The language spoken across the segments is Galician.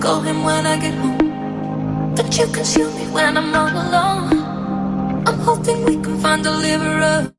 call him when I get home. But you can shoot me when I'm all alone. I'm hoping we can find a deliverer.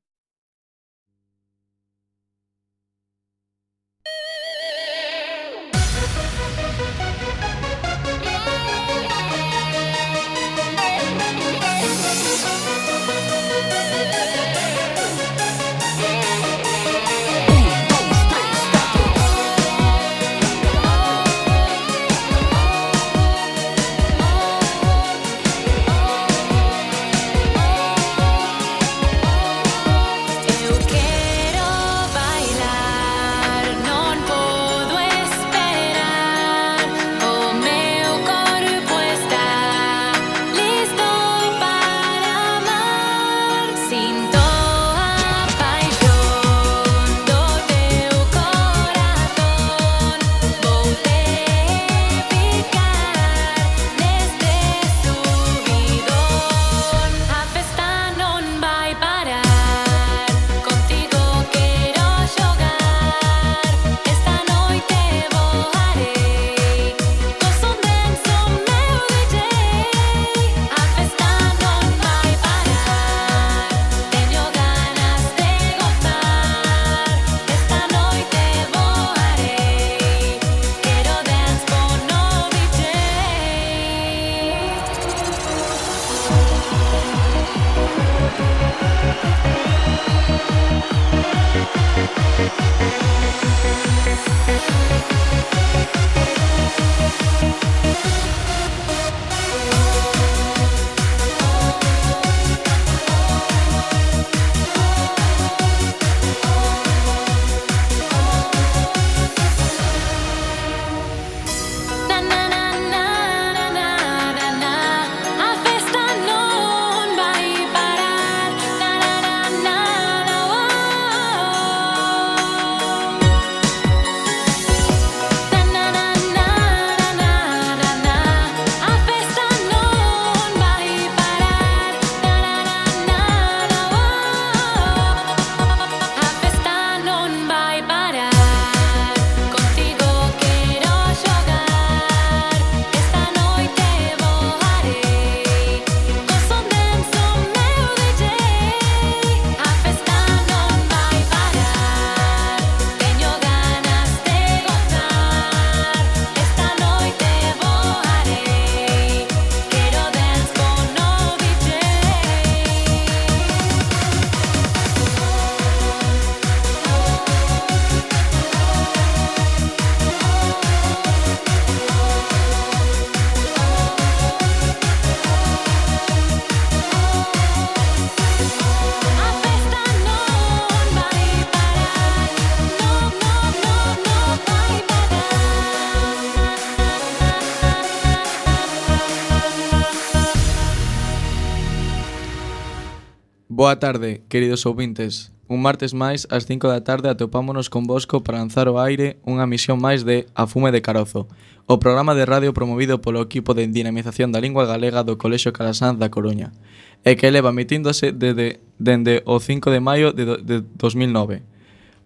Boa tarde, queridos ouvintes. Un martes máis, ás 5 da tarde, atopámonos convosco para lanzar ao aire unha misión máis de A Fume de Carozo, o programa de radio promovido polo equipo de dinamización da lingua galega do Colexio Calasanz da Coruña, e que leva emitíndose dende o 5 de maio de 2009.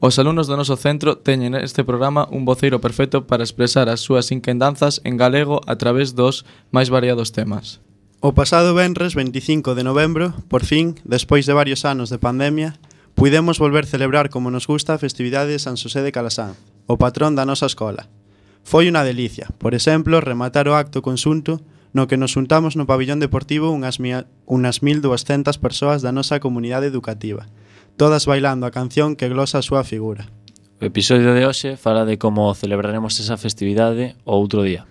Os alumnos do noso centro teñen neste programa un voceiro perfecto para expresar as súas inquendanzas en galego a través dos máis variados temas. O pasado venres 25 de novembro, por fin, despois de varios anos de pandemia, puidemos volver celebrar como nos gusta a festividade de San Xosé de Calasanz, o patrón da nosa escola. Foi unha delicia, por exemplo, rematar o acto conxunto no que nos juntamos no pabillón deportivo unas 1.200 persoas da nosa comunidade educativa, todas bailando a canción que glosa a súa figura. O episodio de hoxe fala de como celebraremos esa festividade o outro día,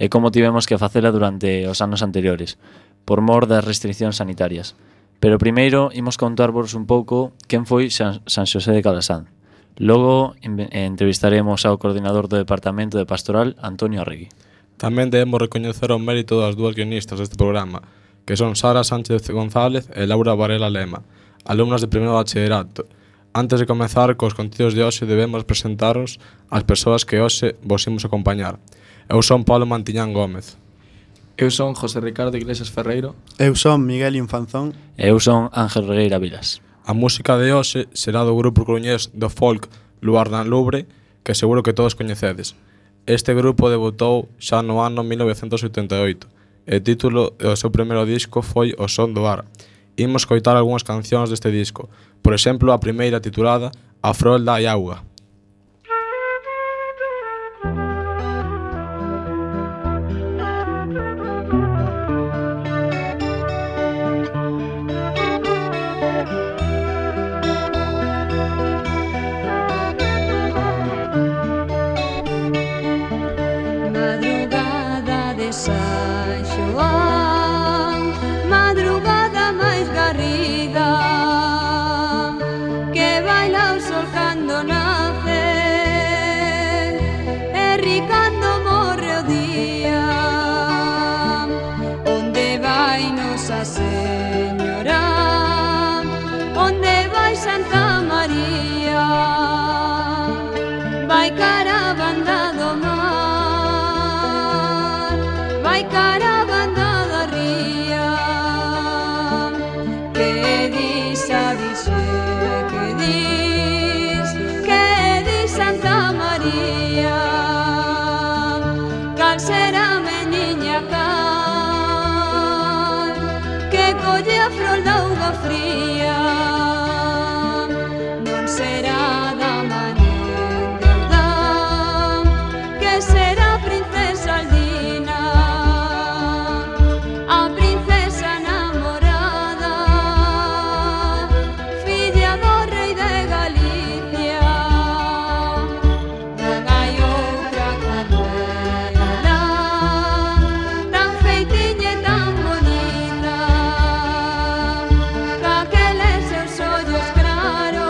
e como tivemos que facela durante os anos anteriores, por mor das restriccións sanitarias. Pero primeiro imos contarvos un pouco quen foi San Xosé de Calasanz. Logo entrevistaremos ao coordinador do Departamento de Pastoral, Antonio Arregui. Tamén debemos recoñecer o mérito das dúas guionistas deste programa, que son Sara Sánchez González e Laura Varela Lema, alumnas de primeiro bachillerato. Antes de comezar cos contidos de hoxe debemos presentaros as persoas que hoxe vos imos acompañar. Eu son Pablo Mantiñán Gómez. Eu son José Ricardo Iglesias Ferreiro. Eu son Miguel Infanzón. E eu son Ángel Regueira Vilas. A música de hoxe será do grupo coruñés do folk Luar na Lubre, que seguro que todos coñecedes. Este grupo debutou xa no ano 1988 e o título do seu primeiro disco foi O Son do Ar. Imos coitar algunhas cancións deste disco, por exemplo, a primeira titulada A Frolda e Auga. Madrugada de San Xoán, madrugada máis garrida, que baila o sol cando nace e ri cando morre o día. Onde vai Nosa Señora? Onde vai Santa María? Vai cara a banda do mar, vai cara a banda da ría. Que dis a Virxe, que dis Santa María? Cal será meniña cal, que colle a frolda auga fría? Non será da manenda, que será princesa Aldina, a princesa namorada, filla do rei de Galicia. Non hai outra como ela, tan feitiña e tan bonita, caqueles seus ollos claros,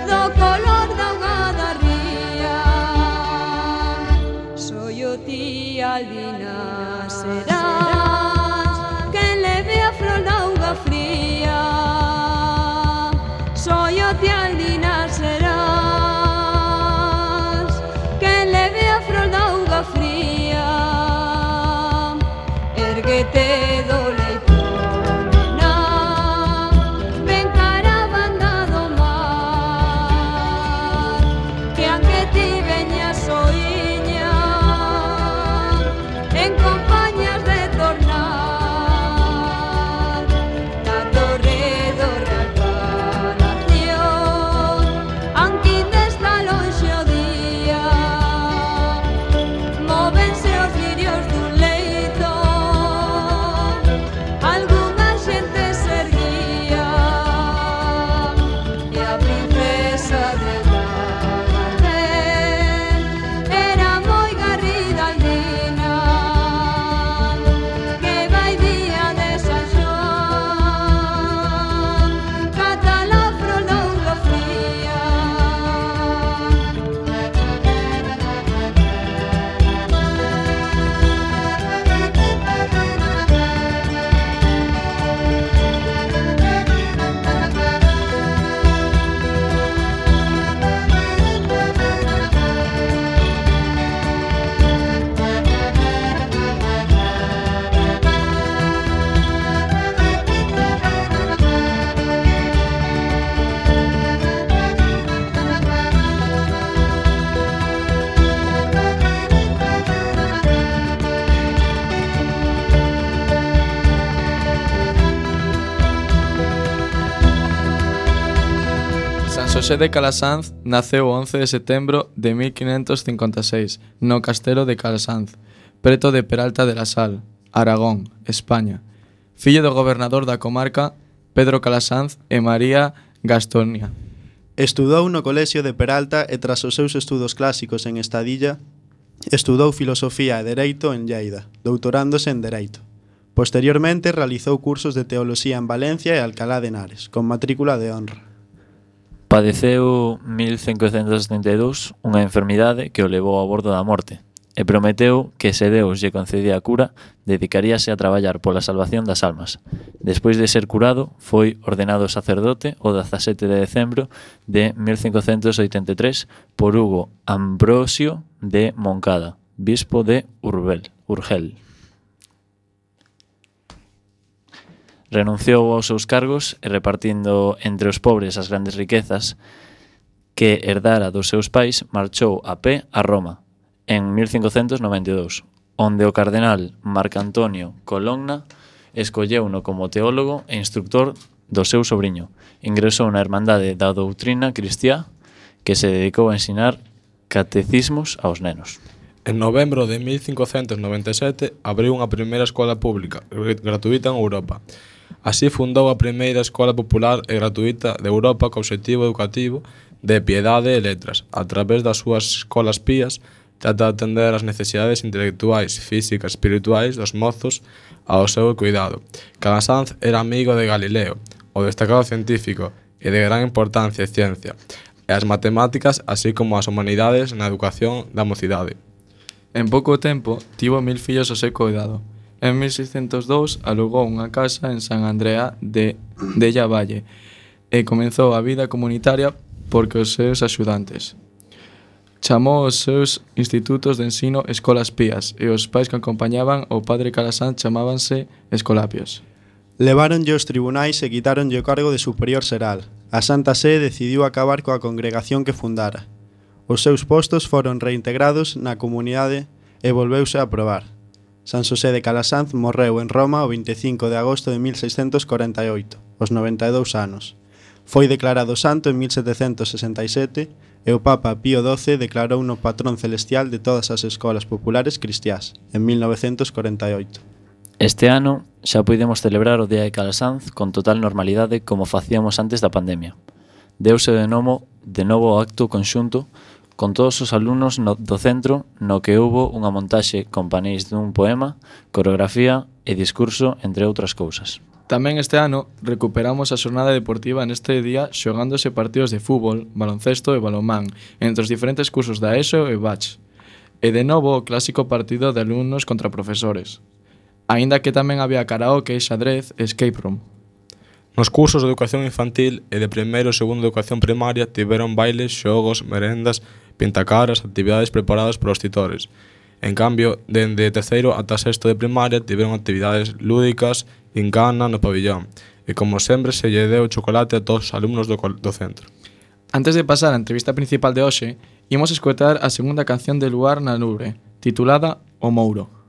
do color da auga da ría. Soy o ti Albina serás, quen leve a frolda auga fría. Soy o ti Albina serás, quen leve a frolda auga fría. Erguete do leito, nena, ven cara a banda do mar, que aunque ti veñas soiña, en compañías de tornar na torre do Real Palacio, aunque desde lonxe o día, móvense os lirios dun leito, algunha xente se erguía, e a princesa de Gardel era moi garrida Aldina, que vai día de San Xoán, cata la frolda auga fría. San Xosé de Calasanz naceu o 11 de setembro de 1556 no castelo de Calasanz, preto de Peralta de la Sal, Aragón, España. Fillo do gobernador da comarca Pedro Calasanz e María Gastonia. Estudou no colexio de Peralta e tras os seus estudos clásicos en Estadilla, estudou filosofía e dereito en Lleida, doutorándose en dereito. Posteriormente realizou cursos de teoloxía en Valencia e Alcalá de Henares, con matrícula de honra. Padeceu 1572 unha enfermidade que o levou ao bordo da morte e prometeu que se Deus lle concedía a cura, dedicaríase a traballar pola salvación das almas. Despois de ser curado, foi ordenado sacerdote o 17 de decembro de 1583 por Hugo Ambrosio de Moncada, bispo de Urgel. Renunciou aos seus cargos e repartindo entre os pobres as grandes riquezas, que herdara dos seus pais, marchou a pé a Roma en 1592, onde o cardenal Marcantonio Colonna escolleuno como teólogo e instructor do seu sobriño. Ingresou na Hermandade da Doutrina Cristiá, que se dedicou a ensinar catecismos aos nenos. En novembro de 1597 abriu unha primeira escola pública gratuita en Europa. Así fundou a primeira escola popular e gratuita de Europa co obxectivo educativo de piedade e letras. A través das súas escolas pías, trata de atender as necesidades intelectuais, físicas e espirituais dos mozos ao seu cuidado. Calasanz era amigo de Galileo, o destacado científico e de gran importancia e ciencia, e as matemáticas, así como as humanidades na educación da mocidade. En pouco tempo, tivo 1000 fillos ao seu cuidado. En 1602 alugou unha casa en San Andrea de Llavalle e comenzou a vida comunitaria porque os seus axudantes. Chamou os seus institutos de ensino escolas pías e os pais que acompañaban o padre Calasanz chamábanse escolapios. Leváronlle os tribunais e quitáronlle o cargo de superior xeral. A Santa Sé decidiu acabar coa congregación que fundara. Os seus postos foron reintegrados na comunidade e volveuse a aprobar. San Xosé de Calasanz morreu en Roma o 25 de agosto de 1648, aos 92 anos. Foi declarado santo en 1767 e o Papa Pío XII declarouno patrón celestial de todas as escolas populares cristiás, en 1948. Este ano xa puidemos celebrar o Día de Calasanz con total normalidade como facíamos antes da pandemia. Deuse de novo o acto conxunto con todos os alumnos do centro no que houbo unha montaxe con paneis dun poema, coreografía e discurso, entre outras cousas. Tamén este ano recuperamos a xornada deportiva neste día xogándose partidos de fútbol, baloncesto e balonmán entre os diferentes cursos da ESO e BACH. E de novo o clásico partido de alumnos contra profesores. Aínda que tamén había karaoke, xadrez e escape room. Nos cursos de educación infantil e de primeiro e segundo de educación primaria tiveron bailes, xogos, merendas, pintacaras, actividades preparadas polos titores. En cambio, dende terceiro ata sexto de primaria tiveron actividades lúdicas, gincana no pabillón. E como sempre se lle deu chocolate a todos os alumnos do centro. Antes de pasar á entrevista principal de hoxe, imos escoitar a segunda canción de Luar na Loure, titulada O Mouro.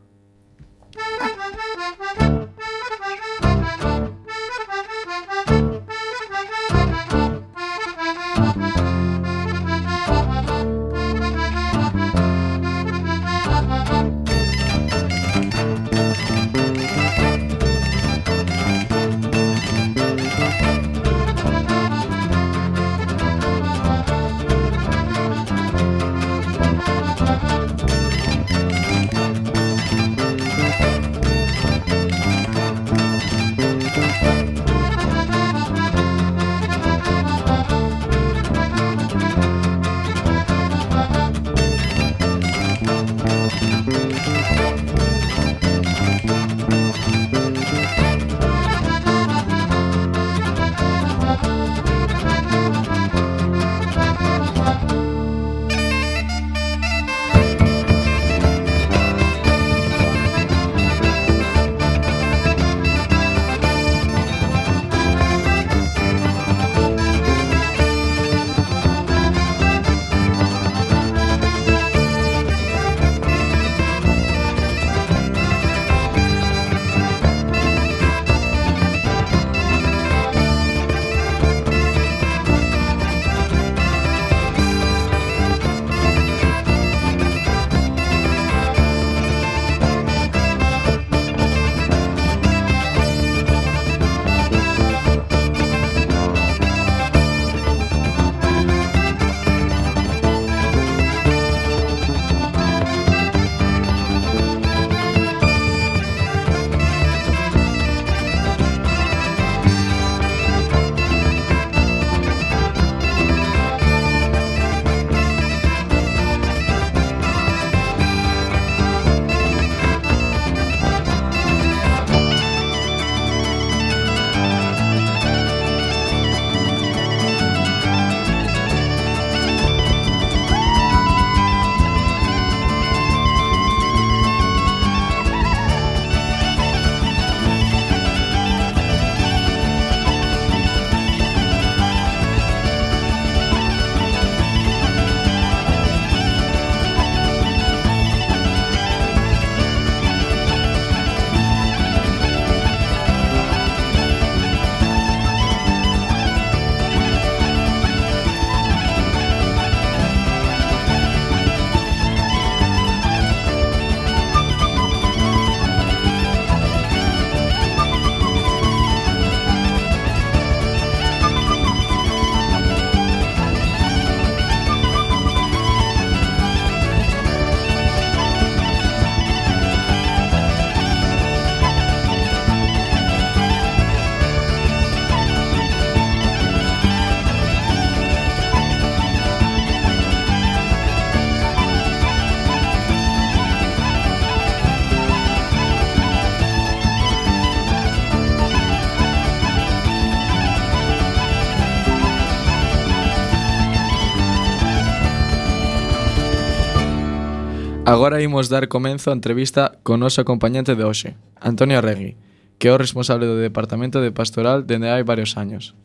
Agora imos dar comenzo á entrevista con noso acompañante de hoxe, Antonio Arregui, que é o responsable do Departamento de Pastoral dende hai varios años.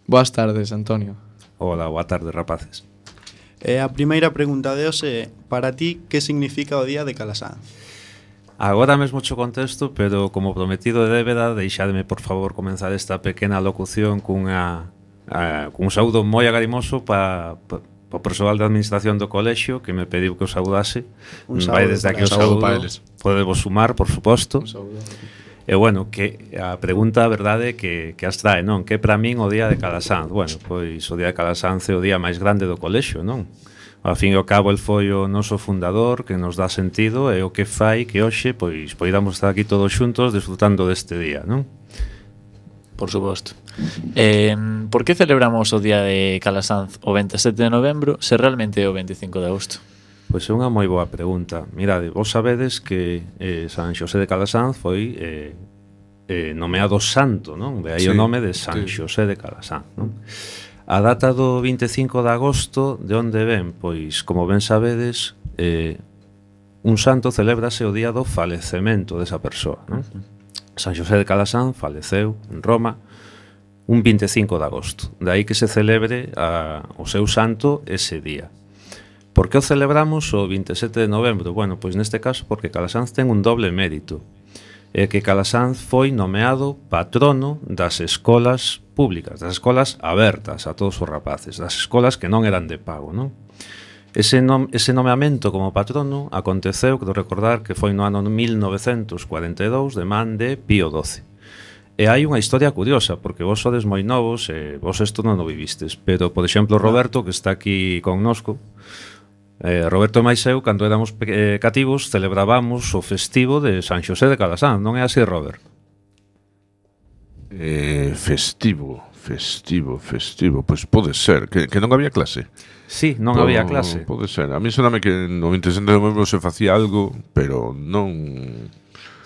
Boas tardes, Antonio. Hola, boa tarde, rapaces. E a primeira pregunta de hoxe é, para ti, que significa o Día de Calasanz? Agora mesmo cho contesto, pero como prometido de débeda, deixademe, por favor, comenzar esta pequena locución cun saúdo moi agarimoso para o persoal da administración do colexio que me pediu que o saudase. Vai desde aquí o saúdo para eles. Podemos sumar, por suposto. Un saúdo. E bueno, que a pregunta, a verdade, que as trae, non? Que para min o Día de Calasanz? Bueno, pois o Día de Calasanz é o día máis grande do colexio, non? Ao fin e ao cabo, el foi o noso fundador que nos dá sentido e o que fai que hoxe pois poidamos estar aquí todos xuntos disfrutando deste día, non? Por suposto. Por que celebramos o Día de Calasanz o 27 de novembro se realmente é o 25 de agosto? Pois é unha moi boa pregunta. Mirade, vos sabedes que San Xosé de Calasanz foi nomeado santo, non? De aí o nome de San Xosé de Calasanz, non? A data do 25 de agosto, de onde ven? Pois, como ben sabedes, un santo celébrase o día do falecemento desa persoa, non? San Xosé de Calasanz faleceu en Roma un 25 de agosto. De aí que se celebre o seu santo ese día. Por que o celebramos o 27 de novembro? Bueno, pois neste caso porque Calasanz ten un doble mérito. É que Calasanz foi nomeado patrono das escolas públicas, das escolas abertas a todos os rapaces, das escolas que non eran de pago, non? Ese nomeamento como patrono aconteceu, quero recordar que foi no ano 1942 de man de Pío XII. E hai unha historia curiosa, porque vos sodes moi novos e vos isto non o vivistes, pero, por exemplo, Roberto, que está aquí connosco, Roberto e máis eu, cando éramos cativos, celebrábamos o festivo de San Xosé de Calasanz, non é así, Robert? Festivo. Pois pode ser, que non había clase. Sí, non había clase. Pode ser. A mí soname que no 27 de novembro se facía algo, pero non...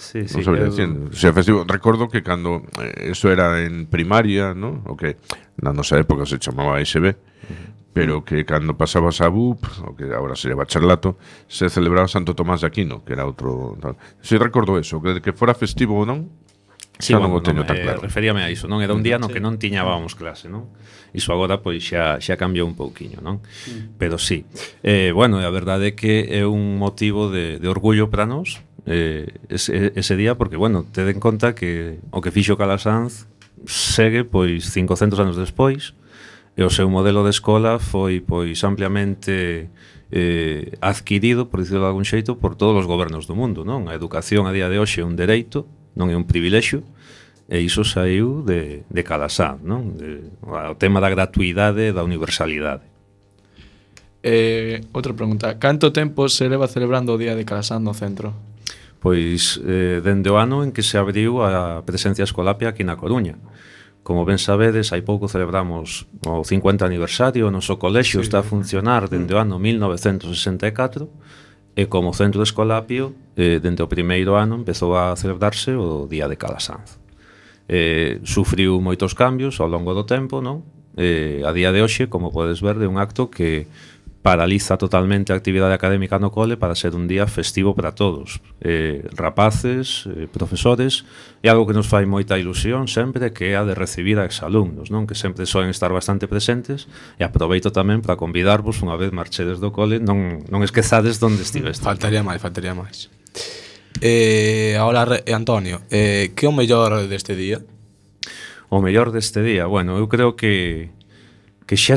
Sí, non sabría dicir. O sea, festivo. Recordo que cando eso era en primaria, ¿no? O que na nosa época se chamaba SB, pero que cando pasabas a BUP, o que agora sería bacharelato, se celebraba Santo Tomás de Aquino, que era outro... Si recordo eso, que fora festivo ou non, sí, non o teño tan claro. Referíame a iso, non? Era un día no que non tiñábamos clase, non? Iso agora pois xa cambiou un pouquiño, non? Pero sí. Bueno, a verdade é que é un motivo de orgullo para nós ese día, porque, bueno, ted en conta que o que fixo Calasanz segue pois 500 anos despois, e o seu modelo de escola foi pois ampliamente adquirido, por dicirlo de algún xeito, por todos os gobernos do mundo, non? A educación a día de hoxe é un dereito, non é un privilexio, e iso saiu de Calasanz, non? O tema da gratuidade e da universalidade. Outra pregunta, canto tempo se leva celebrando o Día de Calasanz no centro? Pois dende o ano en que se abriu a presencia escolapia aquí na Coruña. Como ben sabedes, hai pouco celebramos o 50 aniversario, o noso colexio está a funcionar dende o ano 1964, e como centro de escolapio, dende o primeiro ano empezou a celebrarse o Día de Calasanz. Sufriu moitos cambios ao longo do tempo, non? A día de hoxe, como podes ver, é un acto que paraliza totalmente a actividade académica no cole para ser un día festivo para todos, rapaces, profesores, e algo que nos fai moita ilusión sempre, que é a de recibir a exalumnos, non? Que sempre soen estar bastante presentes, e aproveito tamén para convidarvos unha vez marchedes do cole, non esquezades onde estiveste. Faltaría máis. Ahora, Antonio, que é o mellor deste día? O mellor deste día? Bueno, eu creo que xa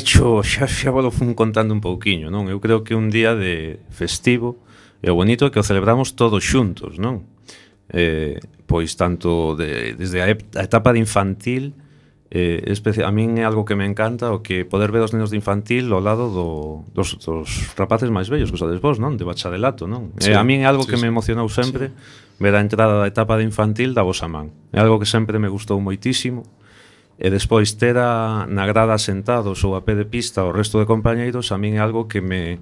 volo fun contando un pouquiño, non? Eu creo que un día de festivo e o bonito é que o celebramos todos xuntos, non? Pois tanto desde a etapa de infantil, a min é algo que me encanta, o que poder ver os nenos de infantil ao lado dos rapaces máis vellos que sodes vos, non? De bacharelato, non? Sí, a min é algo que me emocionou sempre, ver a entrada da etapa de infantil da vosa man. É algo que sempre me gustou moitísimo. E despois ter na grada sentados ou a pé de pista o resto de compañeiros, a min é algo que me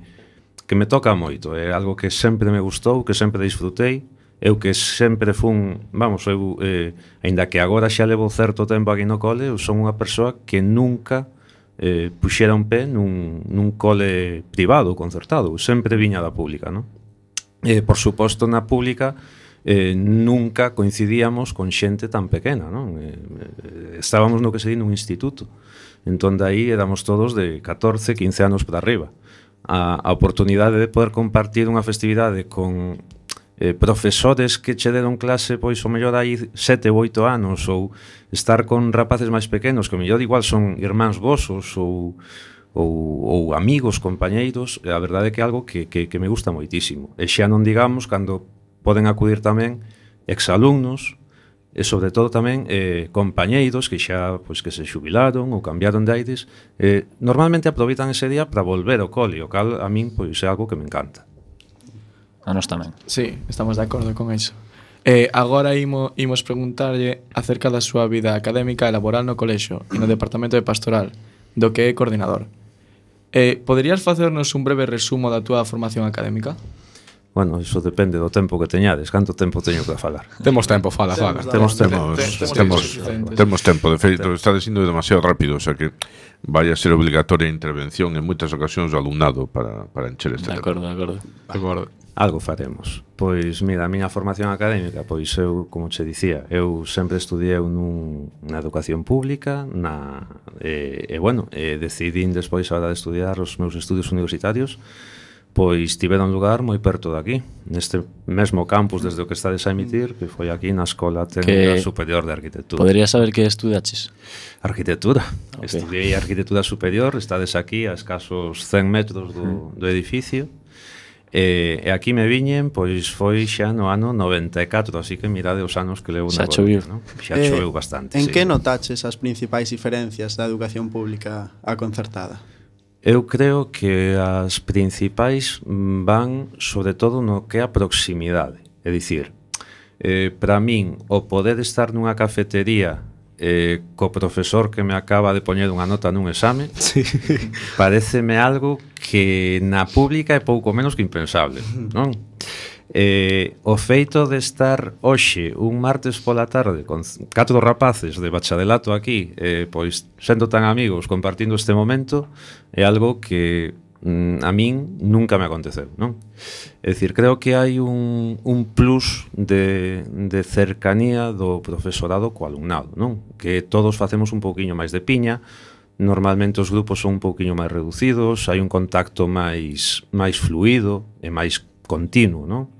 toca moito, é algo que sempre me gustou, que sempre disfrutei, eu que sempre fun, aínda que agora xa levo certo tempo aquí no cole, eu son unha persoa que nunca puxera un pé nun cole privado ou concertado, sempre viña da pública, non? por suposto, na pública nunca coincidíamos con xente tan pequena, non? Estábamos no que se di nun instituto. Entón, daí éramos todos de 14, 15 anos para arriba. A oportunidade de poder compartir unha festividade con profesores que che deron clase pois o mellor hai 7 ou 8 anos, ou estar con rapaces máis pequenos que o mellor igual son irmáns vosos ou amigos, compañeiros, a verdade é que é algo que me gusta moitísimo. E xa non digamos cando poden acudir tamén exalumnos e sobre todo tamén compañeiros que xa pois que se xubilaron ou cambiaron de aires, normalmente aproveitan ese día para volver ao cole, o cal a min pois é algo que me encanta. A nós tamén. Sí, estamos de acordo con iso. Agora imos preguntarlle acerca da súa vida académica e laboral no colexio e no departamento de pastoral, do que é coordinador. Poderías facernos un breve resumo da túa formación académica? Bueno, iso depende do tempo que teñades. Canto tempo teño para falar? Temos tempo, fala. Temos tempo. Temos tempo, de feito, está dicindo demasiado rápido, o sea que vai a ser obligatoria a intervención en moitas ocasións do alumnado para encher este tempo. De acordo. Algo faremos. Pois, mira, a miña formación académica, pois eu, como che dicía, eu sempre estudiei na educación pública, decidín despois a hora de estudiar os meus estudios universitarios, pois tiveron lugar moi perto de aquí, neste mesmo campus desde o que estades a emitir, que foi aquí na Escola Técnica Superior de Arquitectura. Podría saber que estudaches? Arquitectura. Okay. Estudiei Arquitectura Superior, estades aquí a escasos 100 metros do edificio. E aquí me viñen, pois foi xa no ano 94, así que mirade os anos que levo na choveu, ¿no? Xa choveu bastante. En que notaches as principais diferencias da educación pública á concertada? Eu creo que as principais van sobre todo no que é a proximidade. É dicir, para min, o poder estar nunha cafetería co profesor que me acaba de poñer unha nota nun exame, sí, pareceme algo que na pública é pouco menos que impensable, non? O feito de estar hoxe un martes pola tarde con 4 rapaces de bacharelato aquí, pois sendo tan amigos compartindo este momento, é algo que a min nunca me aconteceu, non? É dicir, creo que hai un plus de cercanía do profesorado co alumnado, non? Que todos facemos un pouquiño máis de piña, normalmente os grupos son un pouquiño máis reducidos, hai un contacto máis fluido e máis continuo, non?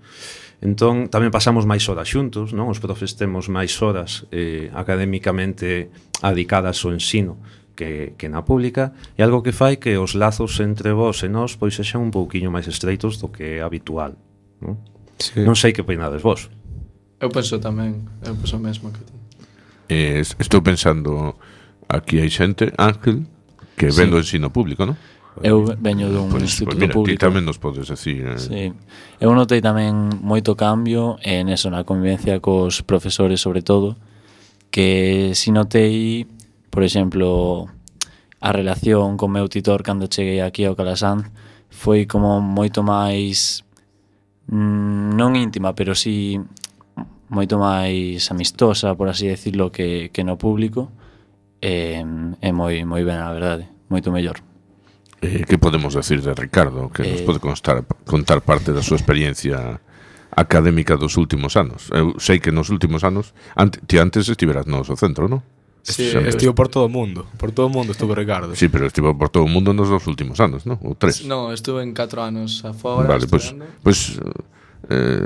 Entón, tamén pasamos máis horas xuntos, non? Os profes temos máis horas académicamente adicadas ao ensino que na pública, é algo que fai que os lazos entre vós e nós pois sexan un pouquiño máis estreitos do que é habitual, non? Sí. Non sei que opinades vos. Eu penso mesmo que ti. Estou pensando, aquí hai xente, Ángel, que ven do ensino público, non? Eu veño dun instituto público. Ti tamén nos podes decir. Sí. Eu notei tamén moito cambio en eso, na convivencia cos profesores, sobre todo, que si notei, por exemplo, a relación con meu titor cando cheguei aquí ao Calasanz foi como moito máis non íntima, pero sí moito máis amistosa, por así decirlo, que no público, e moi ben, a verdade, moito mellor. Que podemos decir de Ricardo, que nos pode contar parte da súa experiencia académica dos últimos anos? Eu sei que nos últimos anos ti antes estiveras no noso centro, non? Sí, estivo por todo o mundo. Por todo o mundo estuvo Ricardo. Sí, pero estivo por todo o mundo nos dos últimos anos, ¿no? Ou 3. No, estuve en 4 anos afora. Vale, pues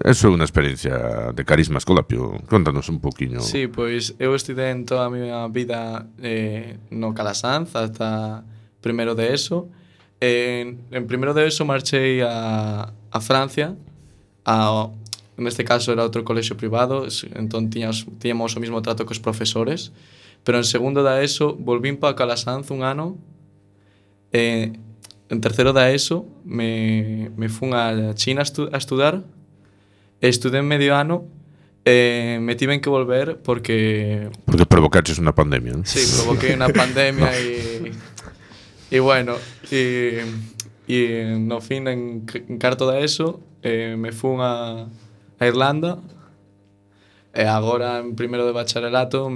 eso é unha experiencia de carisma escolapio. Contanos un poquinho. Sí, pois eu estudei en toda a miña vida no Calasanz ata primeiro de ESO. En primeiro de ESO marchei a Francia, neste caso era outro colexio privado, entón tiñamos o mismo trato cos profesores. Pero en segundo da ESO volvín para Calasanz un ano. En terceiro da ESO me fun a China a estudar. Estudei medio ano. Me tiven que volver porque provocaches unha pandemia, ¿no? Sí, provoquei unha pandemia e bueno, e no fin en cuarto da ESO me fun a Irlanda. E agora en primeiro de bacharelato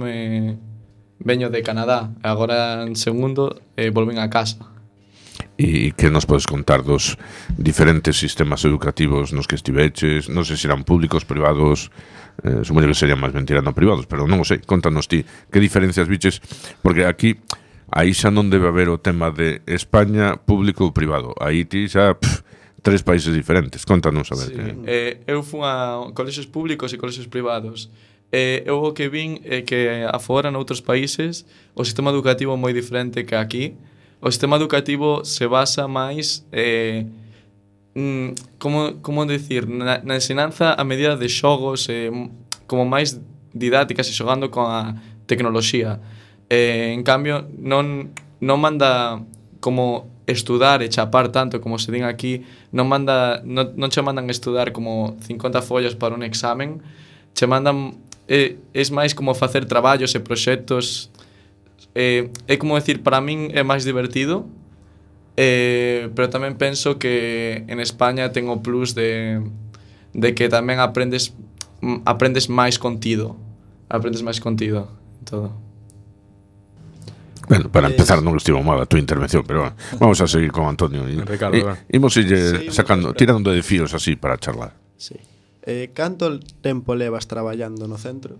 veño de Canadá, agora en segundo volvín a casa. E que nos podes contar dos diferentes sistemas educativos nos que estiveches, non sei se eran públicos, privados, supoño que serían máis ben tirando a privados, pero non o sei, contanos ti, que diferencias viches, porque aquí aí xa non debe haber o tema de España público ou privado, aí ti xa tres países diferentes, contanos a ver Sí. que... Eu fui a colexios públicos e colexios privados. Eu o que vin é que afora noutros países o sistema educativo é moi diferente que aquí. O sistema educativo se basa máis como decir, na ensinanza a medida de xogos, como máis didácticas e xogando con a tecnoloxía. En cambio, non manda como estudar e chapar tanto como se din aquí, non che mandan estudar como 50 follas para un examen, che mandan é máis como facer traballos e proxectos. É como decir, para min é máis divertido, pero tamén penso que en España ten o plus de que tamén aprendes máis contido en todo. Bueno, para empezar non estivo mal a túa intervención, pero bueno, vamos a seguir con Antonio. Ricardo, Imos ille sacando, tirando de fíos así para charlar. Sí. Canto tempo levas traballando no centro?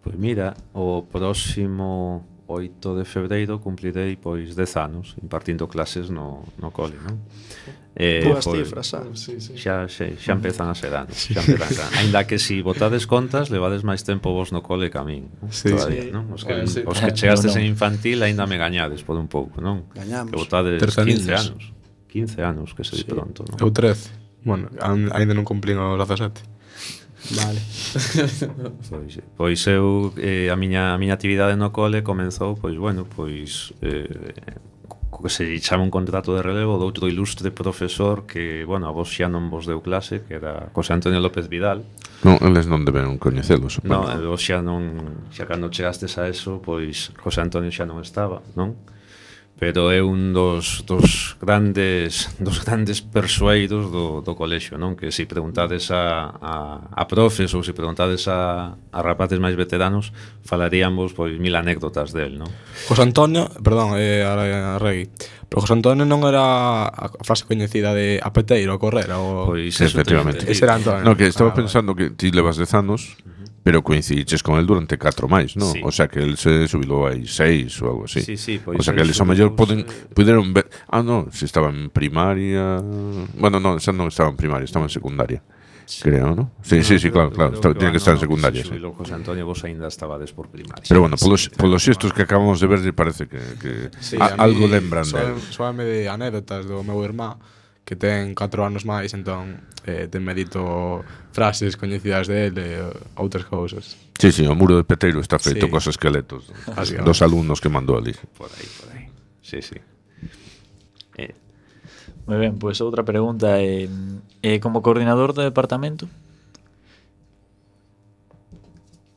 Pois mira, o próximo 8 de febreiro cumplirei pois 10 anos impartindo clases no cole, non? Boas cifras, xa. Xa empezan a ser anos, Ainda que si botades contas, levades máis tempo vos no cole que a min, todavía, non? Os que chegastes en infantil aínda me gañades por un pouco, non? Gañamos. Que botades 15 anos. 15 anos, que se di pronto, non? Eu 13. Bueno, ainda non cumplín os 17. Vale. Pois eu a miña actividade no cole comezou, pois bueno, que se chama un contrato de relevo de outro ilustre profesor que, bueno, a vos xa non vos deu clase, que era José Antonio López Vidal. Non, eles non deben coñecelos. Non, vos xa cando chegastes a eso, pois José Antonio xa non estaba, non? Pero é un dos grandes persoeiros do colexio, non? Que se preguntades a profes ou se preguntades a rapaces máis veteranos, falaríamos pois 1000 anécdotas del, non? José Antonio, perdón, a Regui, pero José Antonio non era a frase coñecida de a peteiro, a correr, ou... Pois Sí, efectivamente. Ese era Antonio. No, que estaba pensando que ti levas 10 anos, pero coincidiches con el durante 4 máis, non? Sí. O sea que el se subilou aí 6 ou algo así. Sí, pois o sea que eles ao mellor puderon ver... non, se estaba en primaria... Bueno, non, xa non estaba en primaria, estaba en secundaria. Creo, ¿no? Sí, claro. Tiene que estar en secundaria. Si subiu José Antonio, vos aínda estabades por primaria. Pero bueno, polos xestos que acabamos de ver, parece que algo lembran del. Soame de anécdotas do meu irmá, que ten 4 anos máis, entón ten medito frases coñecidas dele e outras cousas. Sí, o muro de Peteiro está feito cos esqueletos dos alumnos que mandou ali. Por aí. Sí. Moi ben, pois outra pregunta é como coordinador do departamento?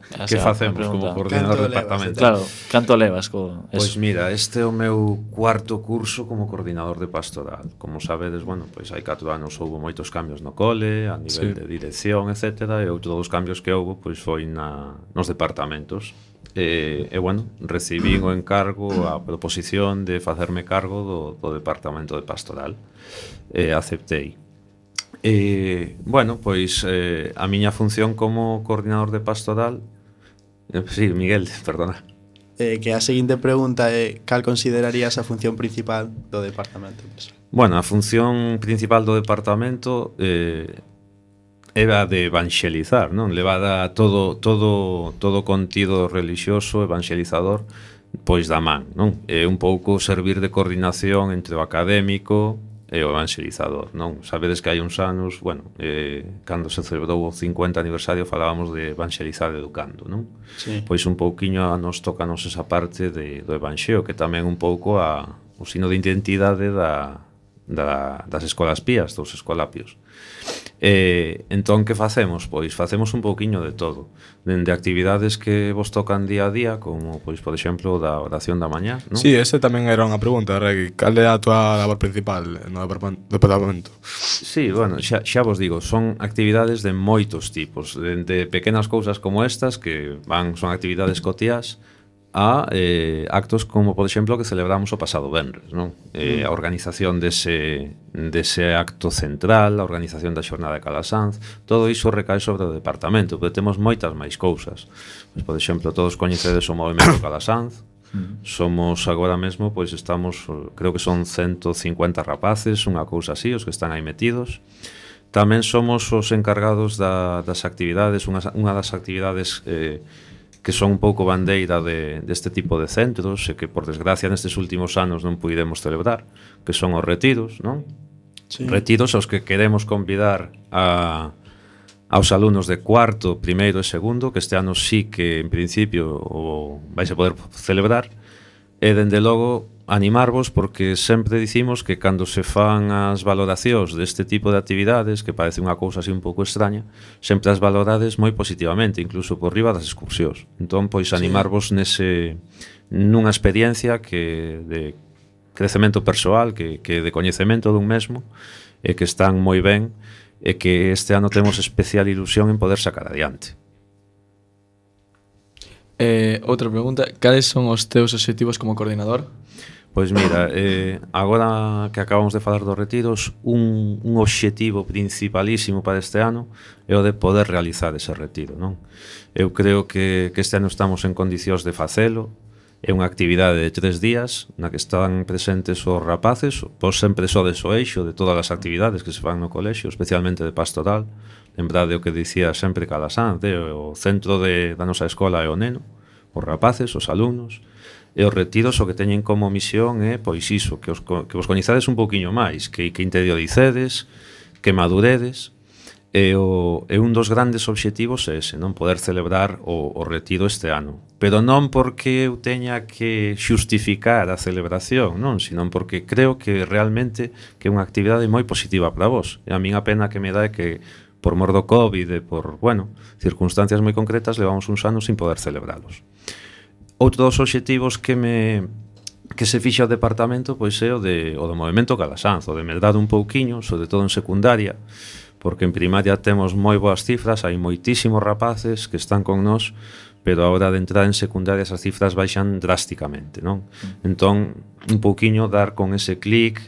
Que facemos como coordinador do departamento? Claro, canto levas co eso? Pois mira, este é o meu cuarto curso como coordinador de pastoral. Como sabedes, bueno, pois hai 4 anos houve moitos cambios no cole, a nivel de dirección, etc. E outro dos cambios que houve pois foi nos departamentos. E bueno, recibín o encargo, a proposición de facerme cargo do departamento de pastoral. Aceptei. Bueno, pois a miña función como coordinador de pastoral... Sí, Miguel, perdona. Que a seguinte pregunta é cal considerarías a función principal do departamento? Bueno, a función principal do departamento era de evangelizar, non? Levada todo contido religioso, evangelizador, pois da man, non? É un pouco servir de coordinación entre o académico e o evangelizador, non? Sabedes que hai uns anos, bueno, cando se celebrou o 50 aniversario falábamos de evangelizar educando, non? Sí. Pois un pouquiño nos tocanos esa parte do evanxeo, que tamén un pouco o sino de identidade das escolas pías, dos escolapios. Entón, que facemos? Pois facemos un pouquiño de todo, dende actividades que vos tocan día a día, como, pois, por exemplo, da oración da mañá, non? Sí, ese tamén era unha pregunta, Regui. Cal é a tua labor principal no departamento? Sí, bueno, xa vos digo, son actividades de moitos tipos, dende pequenas cousas como estas, que son actividades cotiás, a actos como, por exemplo, que celebramos o pasado venres, non? A organización dese acto central, a organización da xornada de Calasanz, todo iso recae sobre o departamento, pero temos moitas máis cousas. Pois, por exemplo, todos coñecedes o movimento Calasanz. Somos agora mesmo, pois estamos, creo que son 150 rapaces, unha cousa así, os que están aí metidos. Tamén somos os encargados das actividades, unha das actividades que son un pouco bandeira deste tipo de centros e que, por desgracia, nestes últimos anos non puidemos celebrar, que son os retiros, non? Sí. Retiros aos que queremos convidar aos alumnos de cuarto, primeiro e segundo, que este ano sí que, en principio, vais a poder celebrar, e, dende logo, animarvos, porque sempre dicimos que cando se fan as valoracións deste tipo de actividades, que parece unha cousa así un pouco extraña, sempre as valorades moi positivamente, incluso por riba das excursións. Entón, pois, animarvos nunha experiencia que de crecemento persoal, que de coñecemento dun mesmo, e que están moi ben, e que este ano temos especial ilusión en poder sacar adiante. Outra pregunta, cales son os teus obxectivos como coordinador? Pois mira, agora que acabamos de falar dos retiros, un obxectivo principalísimo para este ano é o de poder realizar ese retiro, non? Eu creo que este ano estamos en condicións de facelo. É unha actividade de 3 días na que están presentes os rapaces, vos sempre sodes o eixo de todas as actividades que se fan no colexio, especialmente de pastoral. Lembrade o que dicía sempre Calasanz, o centro da nosa escola é o neno, os rapaces, os alumnos, e os retiros o que teñen como misión é, pois iso, que vos coñezades un pouquiño máis, que interioricedes, que maduredes, e un dos grandes obxectivos é ese, non poder celebrar o retiro este ano. Pero non porque eu teña que xustificar a celebración, non, sino porque creo que realmente que é unha actividade moi positiva para vos. E a min a pena que me dá é que por mor do COVID e por, circunstancias moi concretas levamos uns anos sin poder celebralos. Outro dos obxectivos que se fixa o departamento pois é o do movimento Calasanz, o de medrar un pouquiño, sobre todo en secundaria, porque en primaria temos moi boas cifras, hai moitísimos rapaces que están con nós, pero a hora de entrar en secundaria esas cifras baixan drásticamente, non? Entón, un pouquiño dar con ese clic,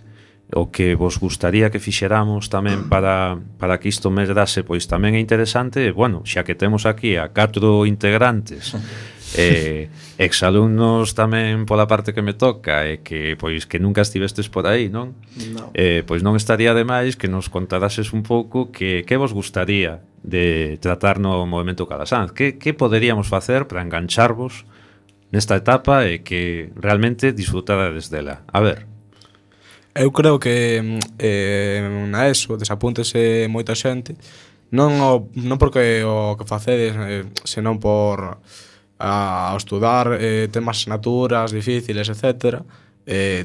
o que vos gustaría que fixeramos tamén para que isto medrase, pois tamén é interesante, e, xa que temos aquí a 4 integrantes, exalumnos tamén pola parte que me toca e que nunca estivestes por aí, non? No. Pois non estaría de máis que nos contarases un pouco que vos gustaría de tratar no movimento Calasanz, que poderíamos facer para engancharvos nesta etapa e que realmente disfrutarades dela. A ver. Eu creo que na ESO desapúntese moita xente, non porque o que facedes, senón por a estudar temas asignaturas difíciles, etc.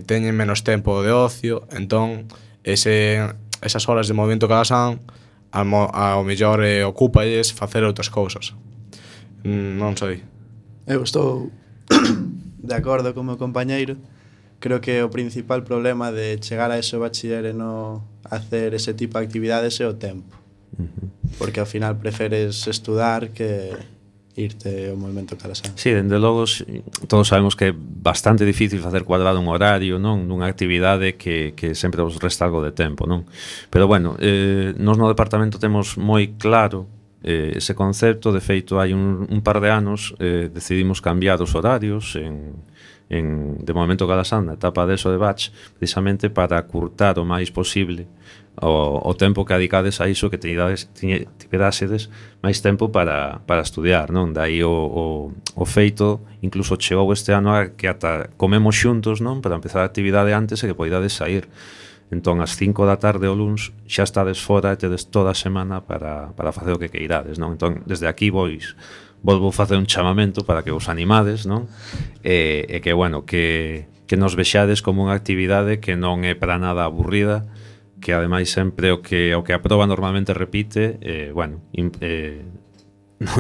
Teñen menos tempo de ocio, entón esas horas de movimento Calasanz ao mellor ocúpalles facer outras cousas. Non sei. Eu estou de acordo con o meu compañeiro. Creo que o principal problema de chegar a ese bachiller e non hacer ese tipo de actividades é o tempo. Porque ao final preferes estudar que irte ao movimento Calasanz. Sí, dende logo todos sabemos que é bastante difícil facer cuadrado un horario, non, nunha actividade que sempre vos resta algo de tempo, non? Pero nós no departamento temos moi claro ese concepto. De feito, hai un par de anos decidimos cambiar os horarios de momento Calasanz na etapa de ESO de batch, precisamente para curtar o máis posible o tempo que adicades a iso, que tiverásedes máis tempo para estudiar, non? Daí o feito, incluso chegou este ano a que ata comemos xuntos, non? Para empezar a actividade antes e que poidades sair. Entón, ás 5 da tarde o luns xa estades fora e tedes toda a semana para facer o que queirades, non? Entón, desde aquí volvo facer un chamamento para que vos animades, non? E que, que nos vexades como unha actividade que non é para nada aburrida, que ademais sempre o que a proba normalmente repite,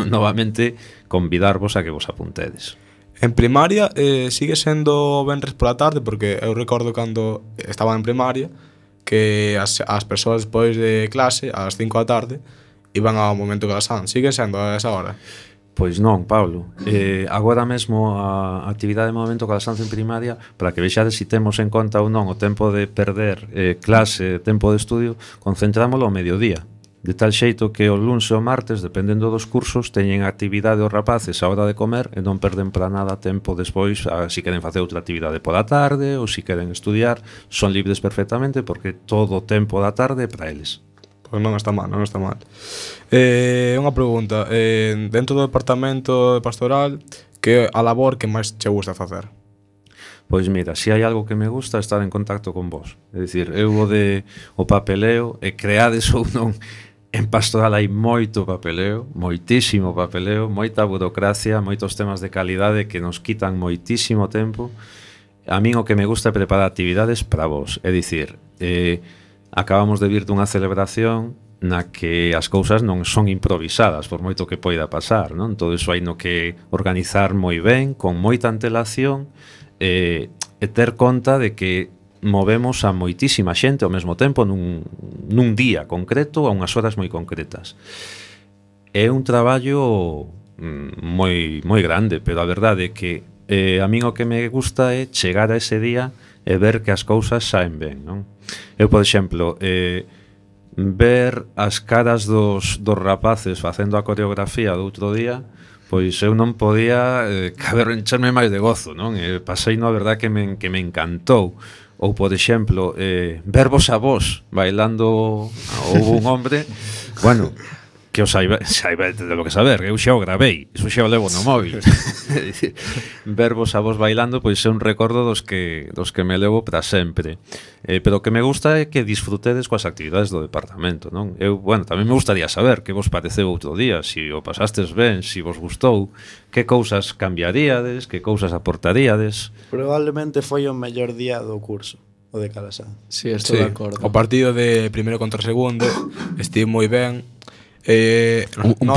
novamente convidarvos a que vos apuntedes. En primaria sigue sendo venres pola tarde, porque eu recordo cando estaba en primaria que as persoas despois de clase, ás 5 da tarde, iban ao momento Calasanz. Sigue sendo a esa hora? Pois non, Pablo. Agora mesmo a actividade de momento Calasanz en primaria, para que vexades se temos en conta ou non o tempo de perder clase, tempo de estudio, concentrámoslo ao mediodía. De tal xeito que o luns e o martes, dependendo dos cursos, teñen actividade os rapaces a hora de comer e non perden para nada tempo despois, se queren facer outra actividade pola tarde ou se queren estudiar, son libres perfectamente porque todo o tempo da tarde é para eles. Pois non está mal, non está mal. Unha pregunta, dentro do departamento de pastoral, que a labor que máis che gusta facer? Pois mira, se hai algo que me gusta estar en contacto con vos. É dicir, eu o papeleo, e creades ou non, en pastoral hai moito papeleo, moitísimo papeleo, moita burocracia, moitos temas de calidade que nos quitan moitísimo tempo. A min o que me gusta é preparar actividades para vos. É dicir, acabamos de vir dunha celebración na que as cousas non son improvisadas, por moito que poida pasar, non? Todo iso hai no que organizar moi ben, con moita antelación, e ter conta de que movemos a moitísima xente ao mesmo tempo nun día concreto a unhas horas moi concretas. É un traballo moi grande, pero a verdade é que a min o que me gusta é chegar a ese día e ver que as cousas saen ben, non? Eu, por exemplo, ver as caras dos rapaces facendo a coreografía do outro día, pois eu non podía caber encherme máis de gozo, non? Pasei, a verdade, que me encantou. Ou, por exemplo, vervos a vos bailando. Houve un hombre, bueno, que o saiba de lo que saber, eu xa o gravei, iso xa o levo no móvil. Vervos a vos bailando, pois é un recordo dos que me levo para sempre. Pero o que me gusta é que disfrutedes coas actividades do departamento, non? Eu, bueno, tamén me gustaría saber que vos pareceu outro día, se o pasastes ben, se vos gustou, que cousas cambiaríades, que cousas aportaríades. Probablemente foi o mellor día do curso, o de Calasanz. Sí, estou de acordo. O partido de primeiro contra segundo estive moi ben. Un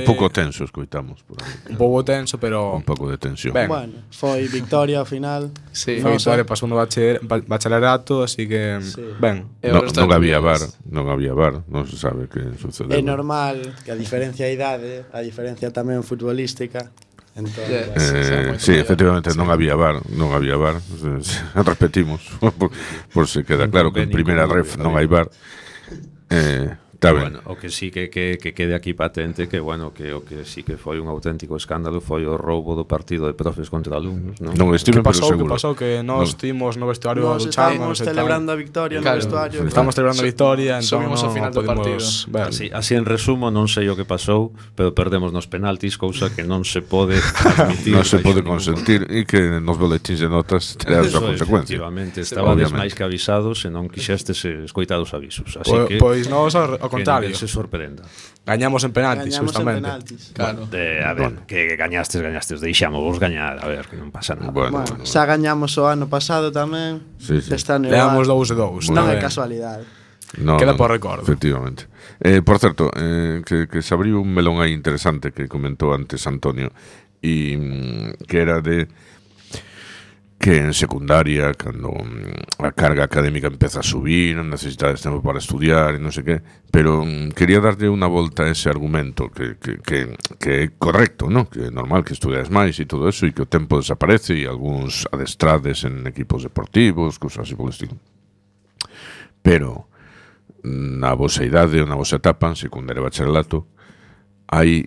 pouco tenso, escoitamos por aí. Un pouco tenso, pero un pouco de tensión. Ben. Bueno, foi victoria ao final. Sí, foi victoria para o segundo bacharelato, así que Sí. ben. Non había VAR, non se sabe que sucedeu. É normal que a diferencia de idade, a diferencia tamén futbolística, entón, Sí, efectivamente non había VAR. Repetimos, por se queda claro que en primeira ref non hai VAR. Está ben. Bueno, o que sí que quede aquí patente que, bueno, que o que sí que foi un auténtico escándalo foi o roubo do partido de profes contra alumnos, non? Non estiven, pero seguro. Que pasou? Que nós estivemos no vestuario nos duchamos, estábamos celebrando a victoria no vestuario. Estamos celebrando a victoria, entón subimos ao final do partido. Así en resumo, non sei o que pasou, pero perdemos nos penaltis, cousa que non se pode admitir. Non se pode consentir e que nos boletins de notas terá a súa consecuencia. Efectivamente, estabades máis que avisados e non quixestes escoitar os avisos. Así que pois nós ao contrario, se sorprenda. Gañamos en penaltis, Gañamos justamente. en penaltis. Claro. A ver, que gañastes, deixamos vos gañar, a ver, que non pasa nada. Bueno, Xa gañamos o ano pasado tamén. Sí, sí. Este ano Leamos igual. 2-2. Non Moi é ben. casualidade. Queda por recordo. Efectivamente. Por certo, que se abriu un melón aí interesante que comentou antes Antonio, e que era de que en secundaria, cando a carga académica empeza a subir, necesitades tempo para estudiar e non sei que, pero quería darlle unha volta a ese argumento que é correcto, ¿no? Que é normal que estudias máis e todo eso, e que o tempo desaparece e algúns adestrades en equipos deportivos, cousas así polo estilo. Pero na vosa idade ou na vosa etapa, en secundaria e bacharelato, hai